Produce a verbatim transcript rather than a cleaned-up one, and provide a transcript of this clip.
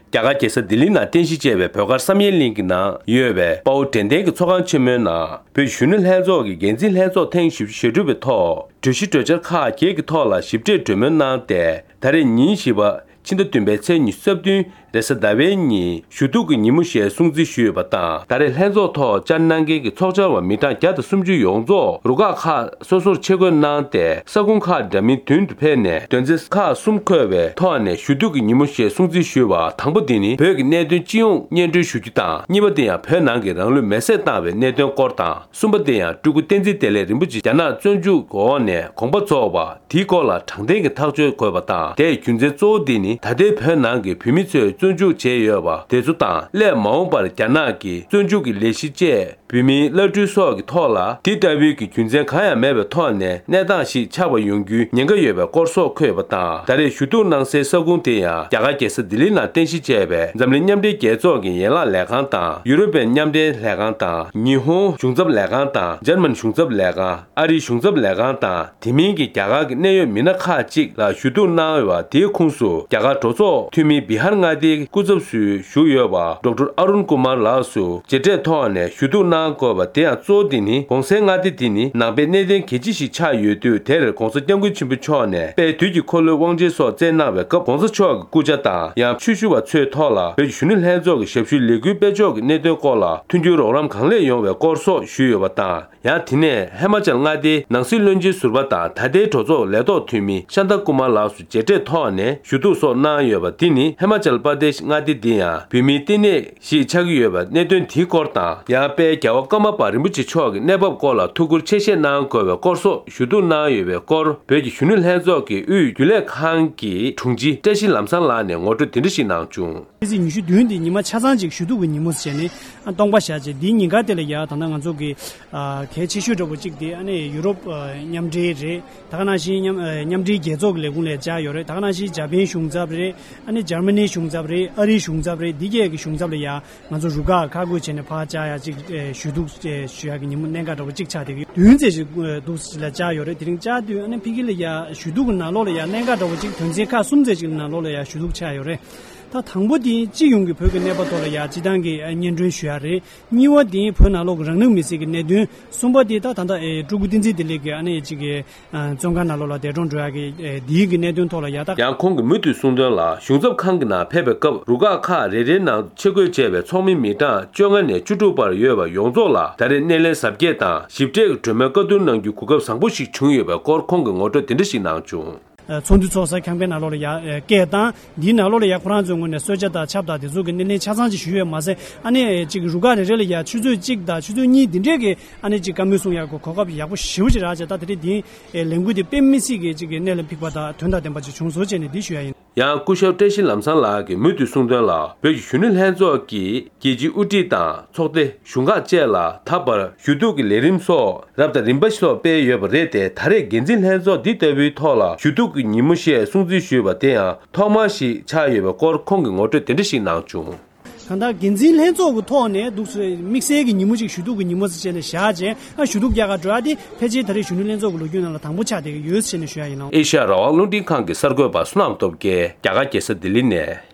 རྒྱ་གར་རྒྱལ་ས་ལྡི་ལི་ནང་རྟེན་གཞི་བྱས་པའི་བོད་སྒར་བསམ་ཡས་གླིང་གི་ནང་ཡོད་པའི་དཔའ་བོ་དྲན་རྟེན་གྱི་ཚོགས་ཁང་ཆེན་མོའི་ནང་བོད་གཞོན་ནུ་ལྷན་ཚོགས་ཀྱི་འགན་འཛིན་ལྷན་ཚོགས་ཐེངས་བཞི་བཅུ་ཞེ་དྲུག་པའི་ཐོག་གྲོས་གཞི་གྲོས་འཆར་ཁག་བརྒྱད་ཀྱི་ཐོག་ལ་ཞིབ་ཕྲའི་གྲོས་མོལ་གནང་སྟེ། ད་རེས་ཉིན་བཞི་པ། ཕྱི་ཟླ་བདུན་པའི་ཚེས་ཉི་ཤུ་རྩ་བདུན་རེས་གཟའ་ཟླ་བའི་ཉིན་ཞུ་གཏུག་གི་ཉིན་མོ་ཞེས་སྲུང་བརྩི་ཞུས་ཡོད་པ་དང་། ད་རེས་ལྷན་ཚོགས་ཐོག་བཅར་གནང་མཁན་གྱི་ཚོགས་བཅར་བ་མི་གྲངས་བརྒྱ་དང་སུམ་ཅུ་ཡོངས་རྫོགས་རུ་ཁག་ཁག་སོ་སོར་ཆས་བགོས་གནང་སྟེ། ས་ཁུངས་ཁག་འདྲ་མིན་བདུན་དུ་ཕེབས་ནས། དོན་ཚན་ཁག་གསུམ་འཁོད་པའི་ཐོག་ནས་ཞུ་གཏུག་གི་ཉིན་མོ་ཞེས་སྲུང་བརྩི་ཞུས་པ། དང་པོ་དེ་ནི་བོད་ཀྱི་གནད་དོན་སྤྱི་ཡོངས་སྙན་སྒྲོན་ཞུ་རྒྱུ་དང་། གཉིས་པ་དེ་ཡང་བོད་ནང་གི་རང་ལུས་མེར་སྲེག་བཏང་བའི་གནད་དོན་སྐོར་དང་། གསུམ་པ་དེ་ཡང་སྤྲུལ་སྐུ་བསྟན་འཛིན་བདེ་ལེགས་རིན་པོ་ཆེ་རྒྱ་ནག་བཙོན་འཇུག་འོག་ནས་དགོངས་པ་རྫོགས་པ། དེའི་སྐོར་ལ་དྲང་བདེན་གྱི་ཐག་གཅོད་དགོས་པ་དང་། དེའི་རྒྱུ་མཚན་གཙོ་བོ་འདི་ནི། ད་ལྟའི་བོད་ནང་གི་བོད་མི་ཚོས་བཙོན་འཇུག་བྱས་ཡོད་པ་དེ་ཚོ་དང་། སླད་མ་འོངས་པར་རྒྱ་ནག་གིས་བཙོན་འཇུག་གི་ལས་གཞི་བཅས་བོད་མིའི་བླ་སྤྲུལ་སོགས་ཀྱི་ཐོག་ལ། དེ་ལྟ་བུའི་གི་རྒྱུ་མཚན་གང་ཡང་མེད་པའི་ཐོག་ནས་གནས་སྟངས་ཤིག་ཆགས་པ་ཡོང་རྒྱུའི་ཉེན་ཁ་ཡོད་པའི་སྐོར་སོགས་འཁོད་ཡོད་པ་དང་། ད་རེས་ཞུ་གཏུག་གནང་སའི་ས་ཁུངས་དེ་ཡང་རྒྱ་གར་རྒྱལ་ས་ལྡི་ལི་ནང་རྟེན་གཞི་བྱས་པའི་འཛམ་གླིང་མཉམ་འབྲེལ་རྒྱལ་ཚོགས་ཀྱི་ཡན་ལག་ལས་ཁང་དང་། ཡུ་རོབ་པའི་མཉམ་འབྲེལ་ལས་ཁང་དང་། ཉི་ཧོང་གཞུང་ཚབ་ལས་ཁང་དང་། འཇར་མན་གཞུང་ཚབ་ལས་ཁང་། ཨ་རིའི་གཞུང་ཚབ་ལས་ཁང་དང་། དེ་མིན་གྱི་རྒྱ་གར་གྱི་གནད་ཡོད་མི་སྣ་ཁག་ཅིག་ལ་ཞུ་གཏུག་གནང་ཡོད་པ། དེའི་ཁོངས་སུ་རྒྱ་གར་གྲོས་ཚོགས་འཐུས་མི་བི་ཧར་མངའ་སྡེའི་སྐུ་ཚབ་སུ་བཞུགས་ཡོད་པ་ཌོག་ཊར་ཨ་རུན་ཀུ་མར་ལགས་སུ་མཇལ་འཕྲད་ཐོག་ནས་ཞུ་གཏུག་གནང་དགོས་པ། དེ་ཡང་གཙོ་བོ་དེ་ནི་གོང་གསལ་མངའ་སྡེ་དེ་ནི་ནང་པའི་གནས་རྟེན་གལ་ཆེ་ཞིག་ཆགས་ཡོད་དུས། དེར་གོང་ས་སྐྱབས་མགོན་ཆེན་པོ་མཆོག་ནས་དཔལ་དུས་ཀྱི་འཁོར་ལོའི་དབང་ཆེན་སོགས་བསྩལ་གནང་བའི་སྐབས། གོང་ས་མཆོག་གི་སྐུ་ཕྱྭ་དང་། ཡང་ཆོས་ཞུ་བ་ཚོའི་ཐོག་ལ་བོད་ཀྱི་གཞོན་ནུ་ལྷན་ཚོགས་ཀྱི་ཞབས་ཞུའི་ལས་འགུལ་སྤེལ་ཕྱོགས་ཀྱི་གནད་དོན་སྐོར་ལ་མཐུན་འགྱུར་རོགས་རམ་གང་ལེགས་ཡོང་བའི་སྐོར་སོགས་ཞུས་ཡོད་པ་དང་། ཡང་དེ་ནས་ཧི་མ་ཅལ་མངའ་སྡེའི་ནང་སྲིད་བློན་ཆེན་ཟུར་པ་དང་། ད་ལྟའི་གྲོས་ཚོགས་ལས་ཐོག་འཐུས་མི་ཤཱན་ཏ་ཀུ་མར་ལགས་སུ་མཇལ་འཕྲད་ཐོག་ནས་ཞུ་གཏུག་སོགས་གནང་ཡོད་པ། འདི་ནི་ཧི་མ་ཅལ་པར་དེཤ་མངའ་སྡེ་འདི་ཡང་བོད་མིའི་ལྟེ་གནས་ཤིག་ཆགས་ཀྱི་ཡོད་པ་གནད་དོན་དེའི་སྐོར་དང་། ཡང་དཔལ་རྒྱལ་བ་ཀརྨ་པ་རིན་པོ་ཆེ་མཆོག་གི་གནས་བབ་སྐོར་ལ་ཐུགས་ཁུར་ཆེ་བཞེས་གནང་དགོས་པའི་སྐོར་སོགས་ཞུ་གཏུག་གནང་ཡོད་པའི་སྐོར། བོད་ཀྱི་གཞོན་ནུ་ལྷན་ཚོགས་ཀྱི་དབུས་རྒྱུན་ལས་ཁང་གི་དྲུང་ཆེ་བཀྲ་ཤིས་ལམ་བཟང་ལགས་ནས་ངོ་སྤྲོད་འདི་འདྲ་ཞིག་གནང་བྱུང་། ཕྱི་ཚེས་ཉི་ཤུ་བདུན་འདི་ཉི་མ་ཆ་ཚང་ཅིག་ཞུ་གཏུག་གི་ཉིན་མོ་ཟེར་ནས་སྟོང་པ་བཞག་བྱས། འདིའི་ཉིན་དཀར་དེ་ལ་ཡ་ད་ལྟ་ང་ཚོ་གི་ཨ་གལ་ཆེ་ཤོས་འདྲ་པོ་གཅིག་དེ་ཨ་ནི་ཡུ་རོབ་ཨ་མཉམ་འབྲེལ་རེད། ད་ག་ནང་བཞིན་མཉམ་ཨ་མཉམ་འབྲེལ་རྒྱལ་ཚོགས་ཀྱི་ལས་ཁུངས་ལ་བཅར་ཡོད་རེད། ད་ག་ནང་བཞིན་འཇར་པན་གཞུང་ཚབ་རེད། ཨ་ནི་འཇར་མ་ནི་གཞུང་ཚབ་རེད། ཨ་རིའི་གཞུང་ཚབ་རེད། འདི་གས་ཀྱི་གཞུང་ཚབ་ལ་ཡ་ང་ཚོ་རུ་ཁག་ཁག་བགོས་བྱས་ནས་ཕར་བཅར་ཡ་གཅིག་ཨ་ཞུ་གཏུག་ཨ་ཞུ་ཡ་གི་ཉིན་མོ་གནད་འགག་འདྲ་པོ་གཅིག་ཆགས་བསྡད་ཀྱི་ཡོད། བདུན་ཙམ་ཞིག་ཨ་འདུག་ལ་བཅར་ཡོད་རེད། དེ་རིང་བཅར་དུས་ཨ་ནི་ཕ་གི་ལ་ཡ་ཞུ་གཏུག་གི་ནང་ལོགས་ལ་ཡ་གནད་འགག་འདྲ་པོ་གཅིག་དོན་ཚན་ཁག་གསུམ་ཙམ་ཞིག་ནང་ལོགས་ལ་ཡ་ཞུ་གཏུག་ཆགས་ཡོད་རེད། ད་དང་པོ་དེ་སྤྱི་ཡོངས་ཀྱི་བོད་ཀྱི་གནས་བབ་ཐོག་ལ་ཡ་སྤྱི་བཏང་གི་ཨ་སྙན་སྒྲོན་ཞུ་ཡ་རེད། གཉིས་པ་དེ་བོད་ནང་ལོགས་ཀྱི་རང་ལུས་མེར་སྲེག་གི་གནད་དོན། གསུམ་པ་དེ་ད་ད་ལྟ་ཨེ་སྤྲུལ་སྐུ་བསྟན་འཛིན་བདེ་ལེགས་ཀྱི་ཨ་ནི་གཅིག་གི་ཨ་བཙོན་ཁང་ནང་ལོགས་ལ་འདས་གྲོངས་འགྲོ་ཡ་གི་ཨེ་དེའི་གི་གནད་དོན་ཐོག་ལ་ཡ་ད། ཡང་ཁོང་གིས་མུ་མཐུད་གསུངས་དོན་ལ། གཞུང་ཚབ་ཁང་གི་ནང་ཕེབས་པའི་སྐབས་རུ་ཁག་ཁག་རེ་རེའི་ནང་ཆས་བགོས་བྱས་པའི་ཚོགས་མི་མི་གྲངས་བཅོ་ལྔ་ནས་བཅུ་དྲུག་བར་ཡོད་པ་ཡོངས་རྫོགས་ལ་ད་རེས་སྣེ་ལེན་གཟབ་རྒྱས་དང་ཞིབ་ཕྲའི་གྲོས་མོལ་བཀའ་བསྡུར་གནང་རྒྱུའི་གོ་སྐབས་བཟང་པོ་ཞིག་བྱུང་ཡོད་པའི་སྐོར་ཁོང་གིས་ངོ་སྤྲོད་དེ་འདྲ་ཞིག་གནང་བྱུང་། ཚོགས་འདུ་ཚོགས་ས་ཁང་པའི་ནང་ལོགས་ལ་ཡ་སྐད་བཏང་། འདིའི་ནང་ལོགས་ལ་ཡ་ཁོ་རང་ཚོའི་ངོས་ནས་གསོལ་ཇ་དང་ཆབ་དང་དེ་ཚོ་གི་སྣེ་ལེན་ཆ་ཚང་ཅིག་ཞུས་ཡོད་མ་ཟད། ཨ་ནི་ཅིག་རུ་ཁག་རེ་རེ་ལ་ཡ་ཆུ་ཚོད་གཅིག་དང་ཆུ་ཚོད་གཉིས་འདི་འདྲས་ཀྱི་ཨ་ནི་ཅིག་བཀའ་མོལ་གསུང་ཡག་གི་གོ་སྐབས་ཡག་པོ་ཞེ་པོ་ཅིག་རག་བྱས། ད་དེ་རིང་འདི་ལས་འགུལ་འདི་དཔེ་མི་སྲིད་ཀྱི་ཅིག་གི་གནད་ལ་འཕིགས་པ་དང་དོན་དང་ལྡན་པ་ཅིག་བྱུང་སོང་བྱས་ནས་འདི་ཞུ་ཡ་ཡིན། ཡང་སྐུ་ཞབས་བཀྲ་ཤིས་ལམ་བཟང་ལགས་ཀྱིས་མུ་མཐུད་གསུངས་དོན་ལ། བོད་ཀྱི་གཞོན་ནུ་ལྷན་ཚོགས་ཀྱིས་རྒྱལ་སྤྱིའི་དབུ་ཁྲིད་དང་ཚོགས་སྡེ་གཞུང་ཁག་བཅས་ལ་ད་བར་ཞུ་གཏུག་གི་ལས་རིམ་སོགས་རབ་དང་རིམ་པ་སོགས་སྤེལ་ཡོད་པ་རེད་དེ། ད་རེས་འགན་འཛིན་ལྷན་ཚོགས་འདི་ལྟ་བུའི་ཐོག་ལ་ཞུ་གཏུག་གི་ཉིན་མོ་ཞེས་སྲུང་བརྩི་ཞུས་པ་དེ་ཡང་ཐོག་མ་ཞིག་ཆགས་ཡོད་པའི་སྐོར་ཁོང་གིས་ངོ་སྤྲོད་དེ་འདྲ་ཞིག་གནང་བྱུང་། གང་ལྟར་འགན་འཛིན་ལྷན་ཚོགས་ཀྱི་ཐོག་ནས་འདུག་སེ་དམིགས་བསལ་གྱི་ཉིན་མོ་ཅིག་ཞུ་གཏུག་གི་ཉིན་མོ་ཟེར་བྱས་ནས་བཞག་བྱས། ཨ་ཞུ་གཏུག་རྒྱག་ག་འགྲོ་ཡ་དེ་ཕལ་ཆེར་ད་རེས་གཞོན་ནུ་ལྷན་ཚོགས་ཀྱི་ལོ་རྒྱུས་ནང་ལ་དང་པོ་ཆགས་བསྡད་ཀྱི་ཡོད་ཟེར་ནས་ཞུ་ཡ་ཡིན་ལགས། ཨེ་ཤ་ཡ་རང་དབང་རླུང་འཕྲིན་ཁང་གི་གསར་འགོད་པ་བསོད་ནམས་སྟོབས་རྒྱལ་རྒྱ་གར་རྒྱལ་ས་ལྡི་ལི་ནས།